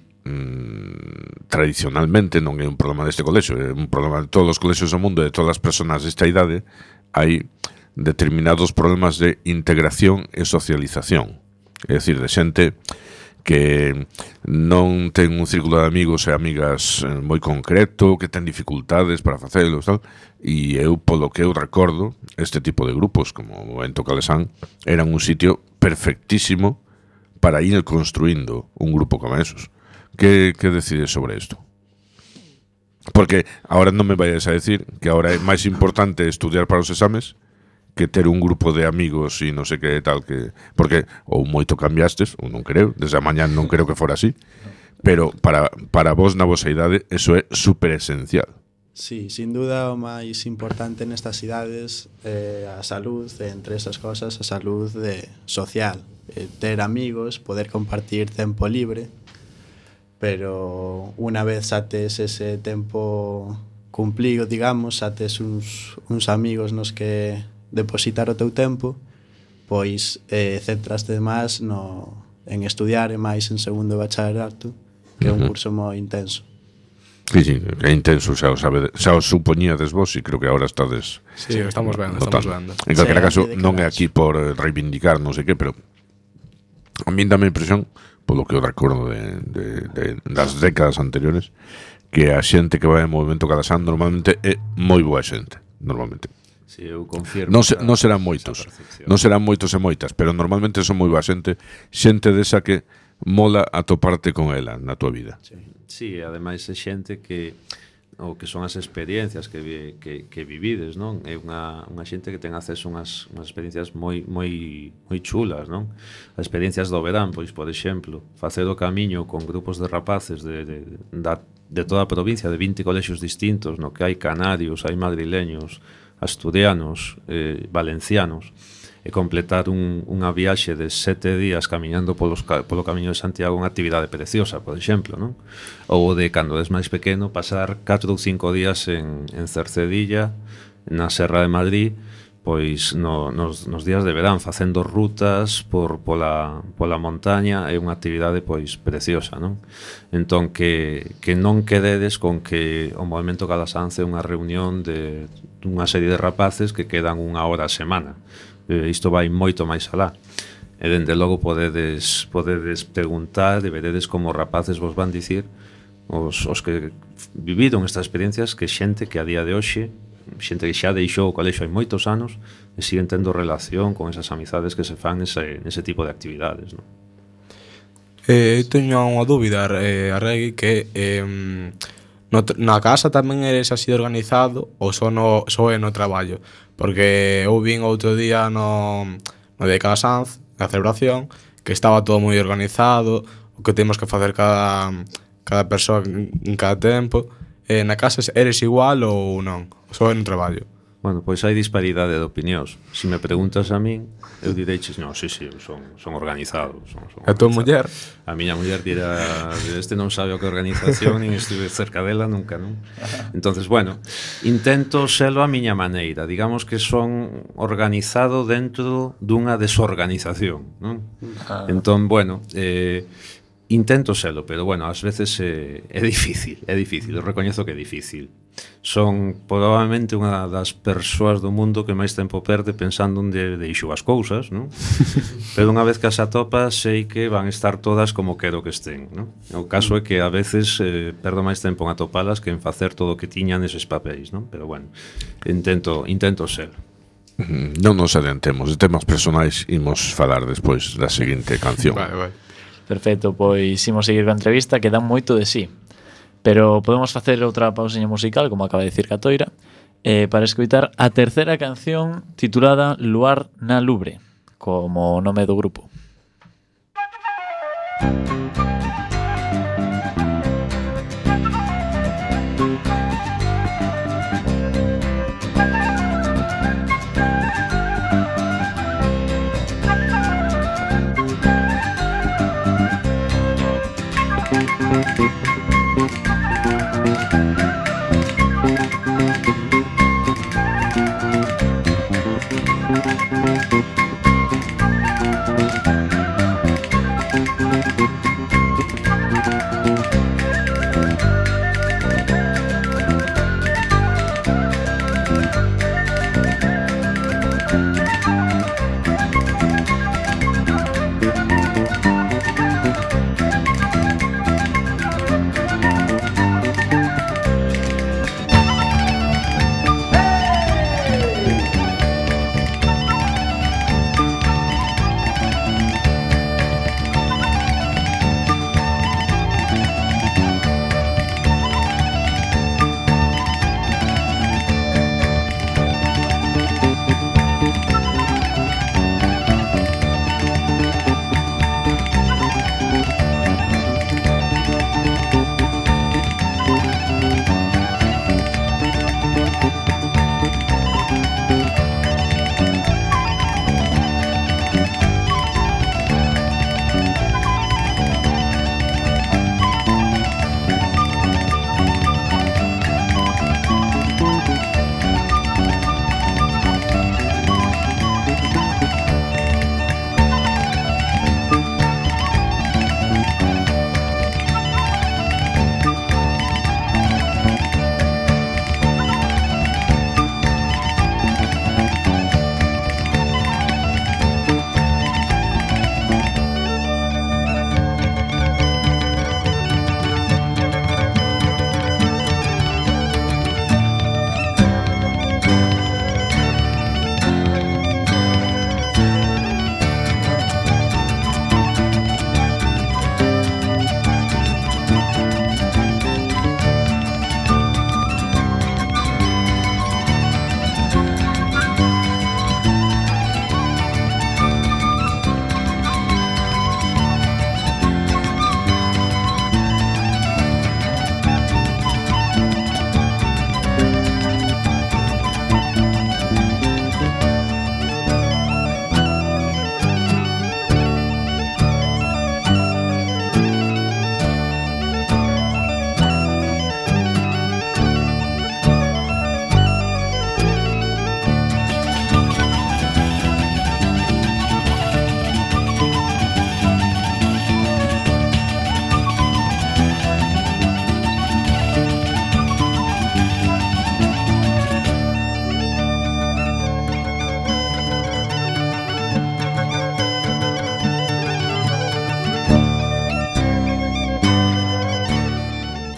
tradicionalmente, non é un problema deste colexio, é un problema de todos os colexios do mundo, de todas as persoas desta idade, hai determinados problemas de integración e socialización. É dicir, de xente que non ten un círculo de amigos e amigas moi concreto, que ten dificultades para facelo, tal, e eu, polo que eu recordo, este tipo de grupos, como o Movemento Calasanz, eran un sitio perfectísimo para ir construindo un grupo como esos. Que decides sobre isto? Porque ahora non me vayas a decir que ahora é máis importante estudiar para os exames que ter un grupo de amigos e non sei que tal que... Porque ou moito cambiastes, ou non creo, desde a mañá non creo que fora así, pero para vos na vosa idade eso é super esencial. Sí, sin duda o máis importante nestas idades é a salud, entre esas cosas, a salud social, ter amigos, poder compartir tempo libre. pero unha vez xa tes ese tempo cumplido, digamos, xa tes uns amigos nos que depositar o teu tempo, pois centraste máis en estudiar e máis en segundo de bachillerato, que é un curso moi intenso. Sí, é intenso, xa o supoñíades vos e creo que agora estades... Sí, estamos vendo. En calquera caso, non é aquí por reivindicar non sei que, pero a min dame a impresión, polo que eu recordo das décadas anteriores, que a xente que vai en Movimento Calasán normalmente é moi boa xente, normalmente. Si, eu confirmo. Non serán moitos e moitas, pero normalmente son moi boa xente desa que mola atoparte con ela na tua vida. Sí, ademais é xente que o que son as experiencias que vivides, non? É unha xente que ten acceso a unhas experiencias moi chulas, non? As experiencias do verán, pois, por exemplo, facer o camiño con grupos de rapaces de toda a provincia, de 20 colexios distintos, no que hai canarios, hai madrileños, asturianos, valencianos, e completar unha viaxe de 7 días camiñando polo camiño de Santiago, unha actividade preciosa, por exemplo, non? Ou de, cando és máis pequeno, pasar 4 ou 5 días en Cercedilla, na Serra de Madrid, pois nos días de verán, facendo rutas pola montaña, é unha actividade pois preciosa, non? Entón, que non quededes con que o Movimento Calasán é unha reunión dunha serie de rapaces que quedan 1 hora a semana. Isto vai moito máis alá. E dende logo podedes preguntar e veredes como rapaces vos van dicir os que viviron estas experiencias, que xente que a día de hoxe, xente que xa deixou o colexio hai moitos anos e siguen tendo relación con esas amizades que se fan nese tipo de actividades, non? Teño unha dúbida, Arregui, que na casa tamén eres así organizado ou só é no traballo? Porque eu vin outro día no de Calasanz, na celebración, que estaba todo moi organizado, o que temos que facer cada persoa en cada tempo. Na casa eres igual ou non? Só é no traballo? Bueno, pois hai disparidade de opinións. Se me preguntas a min, eu direiches, non, sí, eu son organizado. A tua muller? A miña muller dirá, este non sabe o que é organización, nin estuve cerca dela nunca, non? Entonces, bueno, intento selo a miña maneira. Digamos que son organizado dentro dunha desorganización, non? Entón, bueno, intento selo, pero bueno, ás veces é difícil, eu recoñezo que é difícil. Son probablemente unha das persoas do mundo que máis tempo perde pensando onde deixo as cousas, non? Pero unha vez que as atopas, sei que van estar todas como quero que estén, non? O caso é que a veces perdo máis tempo en atopalas que en facer todo o que tiña neses papéis, non? Pero bueno, intento ser. Non nos adiantemos, de temas personais imos falar despois da seguinte canción. Vai. Perfecto, pois imos seguir a entrevista, que dan moito de sí. Pero podemos facer outra pausiña musical, como acaba de dicir Catoira, para escoitar a terceira canción titulada Luar na Lubre, como nome do grupo.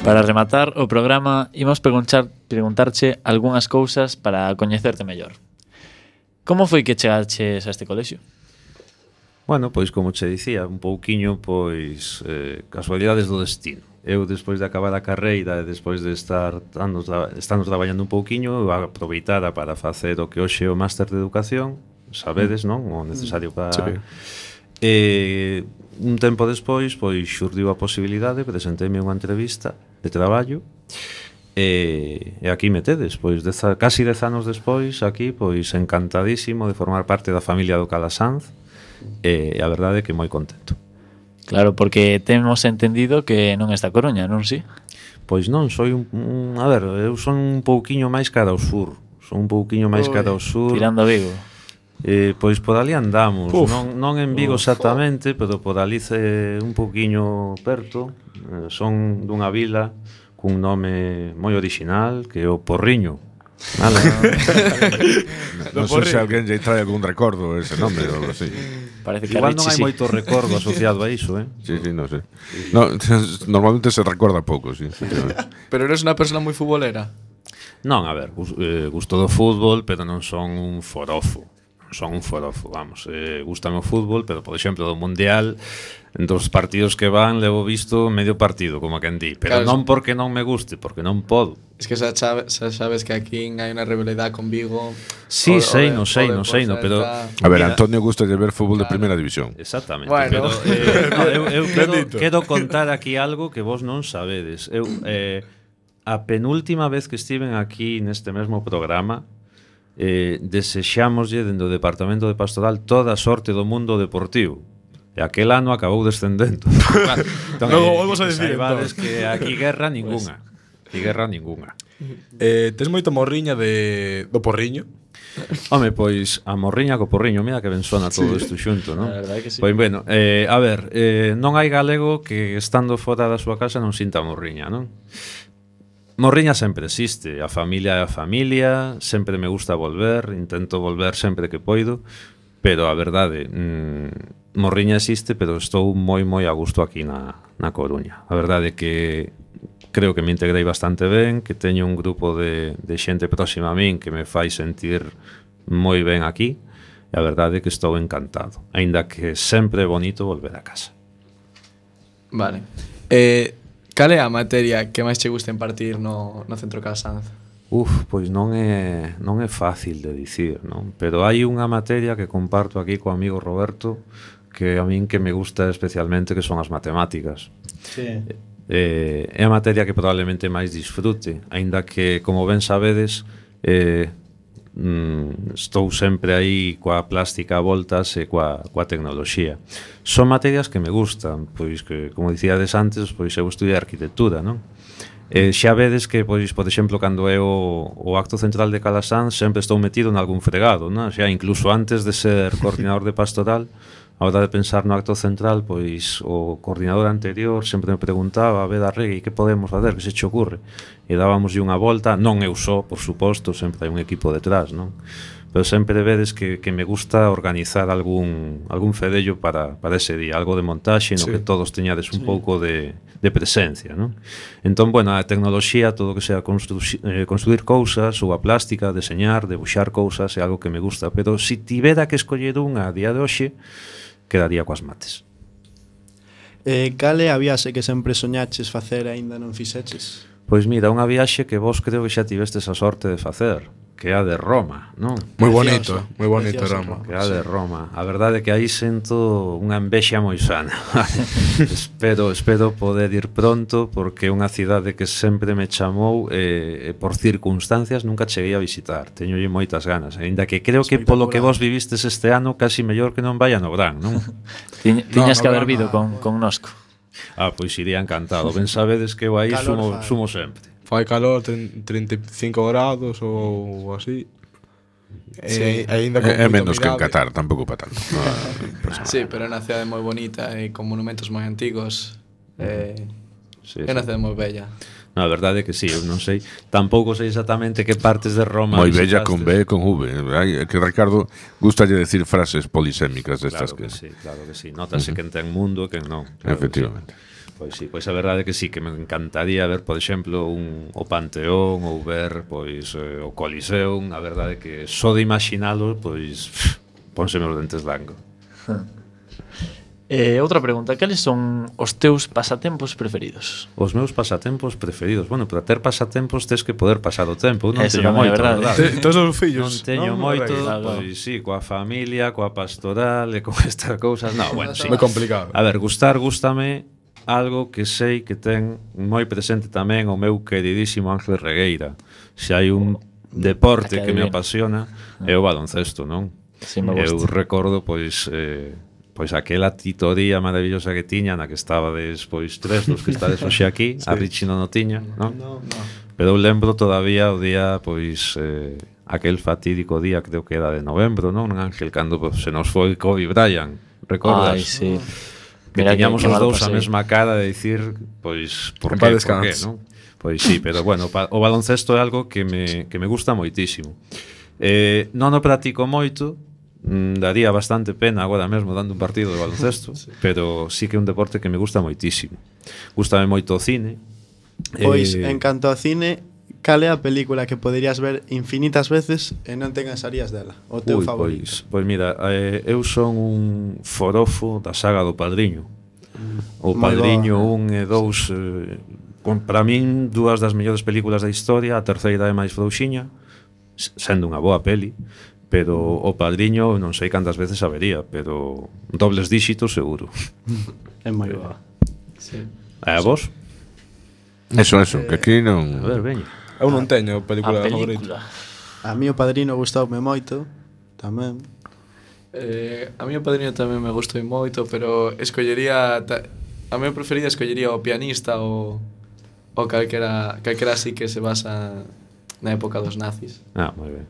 Para rematar o programa, imos preguntarche algunhas cousas para coñecerte mellor. Como foi que chegaches a este colexio? Bueno, pois como che dicía, un pouquiño pois casualidades do destino. Eu despois de acabar a carreira e despois de estar estando traballando un pouquiño, eu aproveitara para facer o que hoxe é o máster de educación, sabedes, non? O necesario para... Sí. Un tempo despois, pois xurdiu a posibilidade, presenteime unha entrevista de traballo e aquí me tedes, pois casi 10 anos despois aquí, pois encantadísimo de formar parte da familia do Calasanz e a verdade é que moi contento. Claro, porque temos entendido que non está Coruña, non si? Pois non, soy a ver, eu son un pouquiño máis cara ao sur. Son un pouquiño máis cara ao sur. Tirando a Vigo. Pois por ali andamos, non en Vigo exactamente, pero por ali un pouquiño perto. Son dunha vila cun nome moi orixinal, que é o Porriño. Vale. Non sei se alguén lle trae algún recordo ese nome ou algo así. Parece que igual non hai moito recordo asociado a iso, Sí, non sei. No, normalmente se recorda pouco, sí. Pero eres unha persona moi futbolera? Non, a ver, gusto do fútbol, pero non son un forofo. Vamos, gustame o fútbol, pero por exemplo do Mundial, dos partidos que van levo visto medio partido, como quen di, pero claro, non porque non me guste, porque non podo. Es que xa sabes que aquí hai unha rivalidade con Vigo. Sí, sei, no, pero a ver, Antonio gusta de ver fútbol de primeira división. Exactamente, bueno. Pero eu quero contar aquí algo que vos non sabedes. Eu a penúltima vez que estiven aquí neste mesmo programa, desexámoslle dentro do Departamento de Pastoral toda a sorte do mundo deportivo. E aquel ano acabou descendendo. Entón, logo volvos a decir que aquí guerra ningunha. Tes moita morriña do Porriño? Home, pois a morriña co Porriño, mira que ben sona todo isto xunto, non? A verdade que sí. Pois bueno, a ver, non hai galego que estando fora da súa casa non sinta morriña, non? Morriña sempre existe, a familia é a familia, sempre me gusta volver, intento volver sempre que poido, pero a verdade, morriña existe, pero estou moi a gusto aquí na Coruña. A verdade é que creo que me integrei bastante ben, que teño un grupo de xente próxima a min que me fai sentir moi ben aquí, e a verdade é que estou encantado, aínda que sempre é bonito volver a casa. Vale. Cal é a materia que máis che gusta impartir no Centro Calasanz? Pois non é fácil de dicir, non? Pero hai unha materia que comparto aquí co amigo Roberto que a min que me gusta especialmente, que son as matemáticas. Sí. É a materia que probablemente máis disfrute, aínda que, como ben sabedes, estou sempre aí coa plástica a voltas e coa tecnoloxía. Son materias que me gustan, pois que, como dicíades antes, pois eu estudiei arquitectura, non? Xa vedes que, pois, por exemplo, cando é o acto central de Calasanz, sempre estou metido en algún fregado, non? Xa incluso antes de ser coordinador de pastoral, a hora de pensar no acto central, pois o coordinador anterior sempre me preguntaba, a ver, Arregui, que podemos facer, que se che ocurre? E dábamoslle unha volta, non eu só, por suposto, sempre hai un equipo detrás, non? Pero sempre vedes que me gusta organizar algún fedello para ese día, algo de montaxe no que todos teñades un pouco de presencia, non? Entón, bueno, a tecnoloxía, todo o que sea construir cousas, ou a plástica, deseñar, debuxar cousas, é algo que me gusta, pero se tivera que escoller unha a día de hoxe, quedaría coas mates. Cal é a viaxe que sempre soñaches facer e aínda non fixeches? Pois mira, unha viaxe que vos creo que xa tivestes a sorte de facer, que é a de Roma, non? Moi bonito Roma. Que é a de Roma. A verdade é que aí sento unha envexa moi sana. Espero poder ir pronto, porque é unha cidade que sempre me chamou e por circunstancias nunca cheguei a visitar. Teñolle moitas ganas, aínda que creo que polo que vos vivistes este ano casi mellor que non vaya no Gran, non? Tiñas que haber vido con Nosco. Pois iría encantado. Ben sabedes que eu aí sumo sempre. Fai calor, 35 grados ou así. Sí. É menos que en Qatar, tampouco para tanto. Sí, pero é unha cidade moi bonita e con monumentos moi antigos. É unha cidade moi bella. Na verdade é que sí, eu non sei, tampouco sei exactamente que partes de Roma Moi bella con visitaste. B e con V. É que Ricardo gustalle decir frases polisémicas destas Claro que sí, notase quen ten mundo e quen non. Claro Efectivamente. Que sí. Pois sí, pois a verdade é que sí, que me encantaría ver, por exemplo, o Panteón ou ver pois o Coliseum, a verdade é que só de imaginalo, pois pónseme os dentes blancos. Outra pregunta, cales son os teus pasatempos preferidos? Os meus pasatempos preferidos. Bueno, para ter pasatempos tes que poder pasar o tempo. Eu non Eso teño tamén é moito, verdade. verdade. Todos os fillos. Non teño moito, Claro. pois sí, coa familia, coa pastoral e con estas cousas. No, bueno, sí. Moi complicado. A ver, gústame algo que sei que ten moi presente tamén o meu queridísimo Ángel Regueira. Se hai un deporte que me apasiona é o baloncesto, non? Sí, me Eu gusta. recordo, pois aquela titoría maravillosa que tiña na que estabades, pois, tres dos que estades hoxe aquí, a Richie non o tiña, non? Pero eu lembro todavía o día, pois, aquel fatídico día, creo que era de novembro, non, Ángel, cando se nos foi Kobe Bryant, recordas? Ai, sí. Que Mira teñamos que os mal dous a pasei. mesma cara de dicir, pois, por En qué, paz por qué, descanse. non? Pois sí, pero bueno, o baloncesto é algo que me gusta moitísimo. Non o practico moito, daría bastante pena agora mesmo dando un partido de baloncesto, pero sí que é un deporte que me gusta moitísimo. Gústame moito o cine. Pois, en canto ao cine, cal é a película que poderías ver infinitas veces e non te cansarías dela? O teu favorito? Pois mira, eu son un forofo da saga do Padriño. O Moi Padriño boa. 1 e 2, para min, dúas das mellores películas da historia. A terceira é máis frouxiña, sendo unha boa peli, pero o Padriño non sei cantas veces a vería, pero dobles díxitos seguro. É moi boa. E a vos? Eso, que aquí A non... ver, veña. Eu non teño A película favorita. película. A mí o Padrino gustoume moito, tamén. A mí o Padriño tamén me gustou moito, pero escollería a meu preferida escollería o Pianista ou calquera así que se basa na época dos nazis. Ah, moi ben.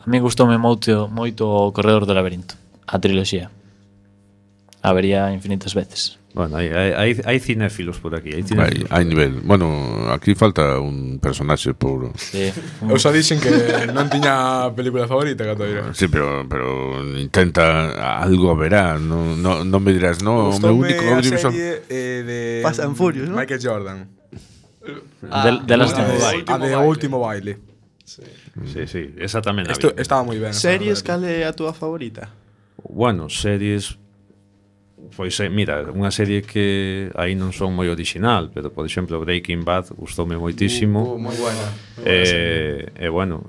A mí gustoume moito o Corredor do Laberinto, a triloxía. A vería infinitas veces. Bueno, hai cinéfilos por aquí, hai cinéfilos. Hai nivel. Bueno, aquí falta un personaxe puro. Sí. Eu xa dixen que non tiña película favorita, Catoira. Sí, pero intenta algo verá, non me dirás, no, o meu único a audiovisual. serie de Fast and Furious, ¿no? Michael Jordan. De Last of Us. A de Último Baile. Sí, esa tamén a Isto vi. estaba moi ben. Series, cal é a túa favorita? Bueno, series. Pois mira, unha serie que aí non son moi original, pero por exemplo Breaking Bad gustoume moitísimo. Moi buena. E bueno,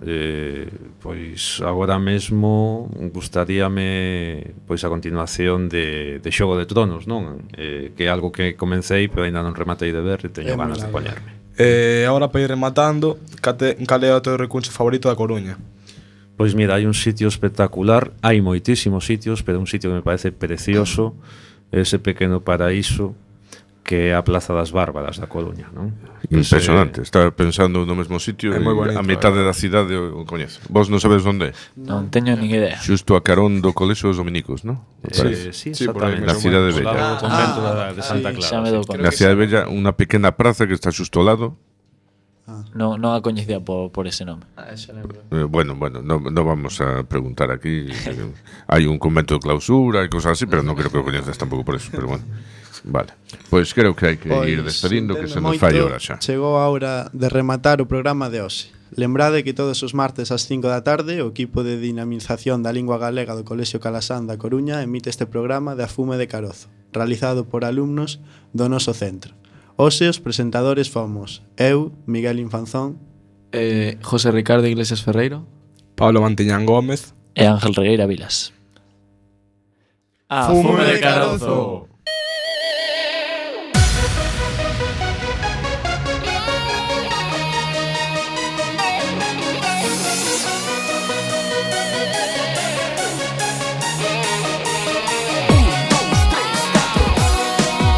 pois agora mesmo gustaríame pois a continuación de Xogo de Tronos, non? Que é algo que comecei pero ainda non rematei de ver e teño É moi ganas de larga. poñerme. Agora para ir rematando, cal é o teu recuncho favorito da Coruña? Pois mira, hai un sitio espectacular, hai moitísimos sitios, pero un sitio que me parece precioso, ese pequeno paraíso que é a Plaza das Bárbaras da Coruña, non? Impresionante, estaba pensando no mesmo sitio É moi e bonito, a metade da cidade o coñezo. Vos non sabes onde é? Non teño nin idea. Xusto a carón do Colexio dos Dominicos, non? Sí, Sí, por aí exactamente. Na cidade Ao lado bella. do convento de Santa sí, Clara. xa me dou sí. conta. Na cidade bella, unha pequena praza que está xusto ao lado. Non a coñecía por ese nome. Xa lembro. Bueno, no vamos a preguntar aquí. Hai un convento de clausura e cosas así, pero non creo que o coñezas tampouco por eso, pero bueno. Vale. Pois creo que hai que ir despedindo, que se nos fai hora xa. Chegou a hora de rematar o programa de hoxe. Lembrade que todos os martes ás 5 da tarde o equipo de dinamización da lingua galega do Colexio Calasán da Coruña emite este programa de Afume de Carozo, realizado por alumnos do noso centro. Hoxe os presentadores fomos eu, Miguel Infanzón, José Ricardo Iglesias Ferreiro. Pablo Mantiñán Gómez. E Ángel Regueira Vilas. Fume de Carozo.